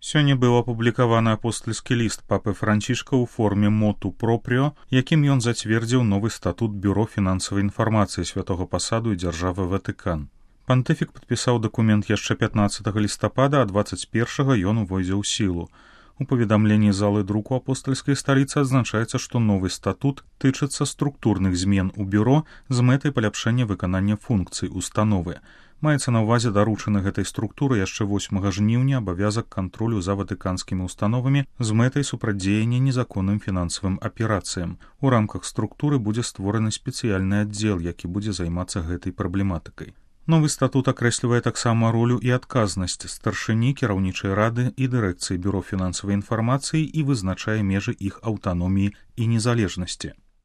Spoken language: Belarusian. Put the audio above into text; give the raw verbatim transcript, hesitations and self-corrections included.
Сёння быў апублікаваны апостальскі ліст папы Францішка ў форме моту пропріо, якім ён зацвердзіў новы статут Бюро фінансавай інфармацыі святога пасаду і дзяржавы Ватыкан. Пантыфік падпісаў дакумент яшчэ пятнаццатага лістапада, а дваццаць першага ён увойдзе ў сілу. У паведамленні залы друку апостальскай сталіцы адзначаецца, што новы статут тычыцца структурных змен у бюро з мэтай паляпшэння выканання функцый установы. Маецца на ўвазе даручаны гэтай структуры яшчэ восьмага жніўня абавязак кантролю за ватыканскімі установамі з мэтай супрацьдзеяння незаконным фінансавым аперацыям. У рамках структуры будзе створаны спецыяльны аддзел, які будзе займацца гэтай праблематыкай. Новы статут акрэслівае таксама ролю і адказнасць старшыні кіраўнічай рады і дырэкцыі Бюро фінансавай інфармацыі і вызначае межы іх аўтаноміі і незалежнасці.